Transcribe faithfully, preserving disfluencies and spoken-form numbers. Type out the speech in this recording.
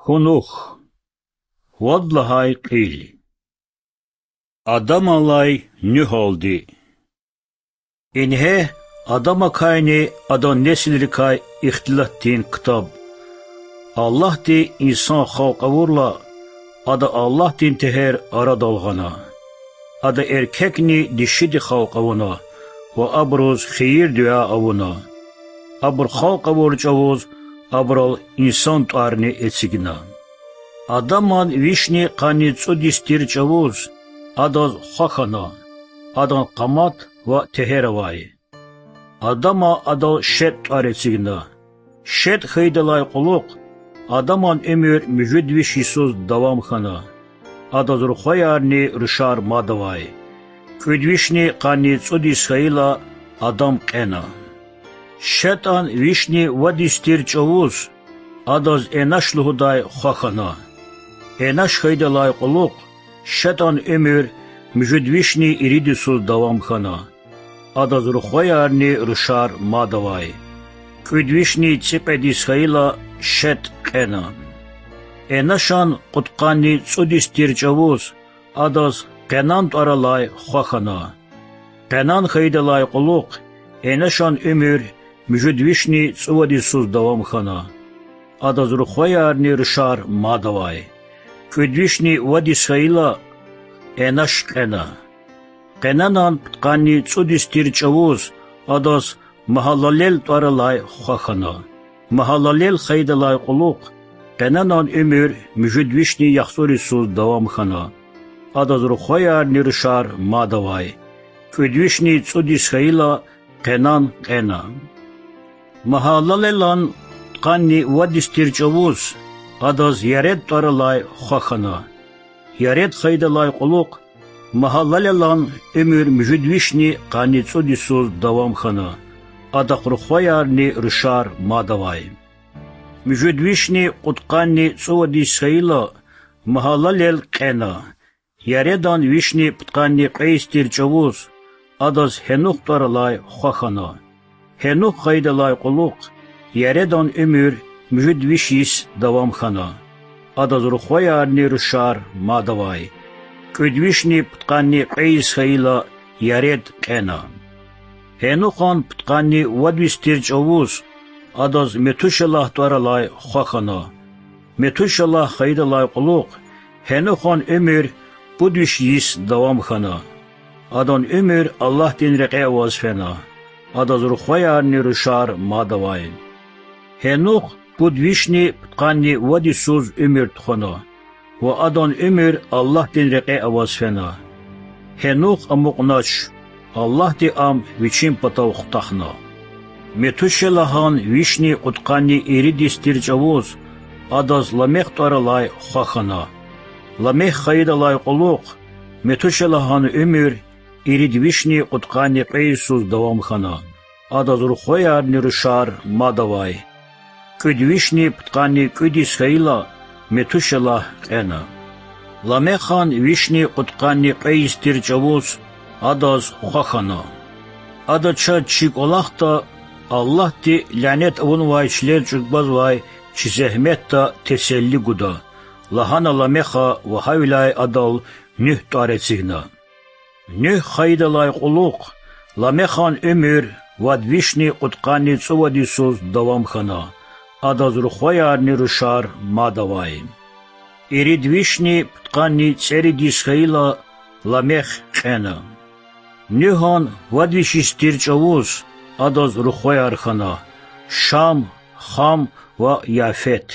Хьунухь. Вад лагьай кьил. Адамалай Нуьгьалди. Ингье Адамакайни адан несилрикай ихтилатдин ктаб. Аллагьди инсан халкь авурла, ада Аллагьдин тегьер арадал гъана. Ада эркекни дишиди халкь авуна ва абуруз хийир-дуьа авуна. Абур халкь авур чӀавуз абурал инсан тӀварни эцигна. Адаман вишни къанни цӀуд йис тир чӀавуз адаз хва хьана, адан къамат ва тегьер авай. Адама адал Шет тӀвар эцигна. Шет хьайидалай кьулухъ Адаман уьмуьр муьжуьд виш йисуз давам хьана. Адаз рухваярни рушар мад авай. КӀуьд вишни къанни цӀуд йис хьайила, Адам кьена. Шетан вишни вад йис тир чӀавуз адаз Энаш лугьудай хва хьана. Энаш хьайидалай кьулухъ Шетан уьмуьр муьжуьд вишни ирид йисуз давам хьана. Адаз рухваярни рушар мад авай. КӀуьд вишни цӀикьвед йис хьайила, Шет кьена. Энашан кьудкъанни цӀуд йис тир чӀавуз адаз Къенан тӀвар алай хва хьана. Къенан хьайидалай кьулухъ Энашан уьмуьр муьжуьд вишни цӀувад йисуз давам хьана. Адаз рухваярни рушар мад авай. КӀуьд вишни вад йис хьайила, Энаш кьена. Къенанан пудкъанни цӀуд йис тир чӀавуз адаз Магьалалел тӀвар алай хва хьана. Магьалалел хьайидалай кьулухъ Къенанан уьмуьр муьжуьд вишни яхцӀур йисуз давам хьана. Адаз рухваярни рушар мад авай. КӀуьд вишни цӀуд йис хьайила, Къенан кьена. Магьалалелан пудкъанни вад йис тир чӀавуз адаз Яред тӀвар алай хва хьана. Яред хьайидалай кьулухъ Магьалалелан уьмуьр муьжуьд вишни къанни цӀуд йисуз давам хьана. Адахъ рухваярни рушар мад авай. Муьжуьд вишни кьудкъанни цӀувад йис хьайила, Магьалалел кьена. Яредан вишни пудкъанни кьве йис тир чӀавуз адаз Гьенух тӀвар алай хва хьана. Гьенух хьайидалай кьулухъ Яредан уьмуьр муьжуьд виш йис давам хьана. Адаз рухваярни рушар мад авай. КӀуьд вишни пудкъанни кьве йис хьайила, Яред кьена. Гьенухан пудкъанни вад йис тир чӀавуз адаз Метушелагь тӀвар алай хва хьана. Метушелагь хьайидалай кьулухъ Гьенухан уьмуьр пуд виш йис давам хьана. Адан уьмуьр Аллагьдин рекье аваз фена. Адаз рухваярни рушар мад авай. Гьенух пуд вишни пудкъанни вад йисуз уьмуьр тухвана ва адан уьмуьр Аллагьдин рекье аваз фена. Гьенух амукьнач, Аллагьди ам вичин патав хутахна. Метушелагьан вишни кьудкъанни ирид йис тир чӀавуз адаз Ламех тӀвар алай хва хьана. Ламех хьайидалай кьулухъ Метушелагьан уьмуьр ирид вишни кьудкъанни кьве йисуз давам хьана. Адаз рухваярни рушар мад авай. КӀуьд вишни пудкъанни кӀуьд йис хьайила, Метушелагь кьена. Ламехан вишни кьудкъанни кьве йис тир чӀавуз адаз хва хьана. Ада чаз чи кӀвалахда Аллагьди лянет авунвай чилел чӀугвазвай чи зегьметда теселли гуда,— лагьана Ламеха ва гьавиляй адал Нуьгь тӀвар эцигна. Нуьгь хьайидалай кьулухъ Ламехан уьмуьр вад вишни кьудкъанни цӀувад йисуз давам хьана. Адаз рухваярни рушар мад авай. Ирид вишни пудкъанни цӀерид йис хьайила, Ламех кьена. Нуьгьан вад виш йис тир чӀавуз адаз рухваяр хьана: Шам, Хам ва Яфет.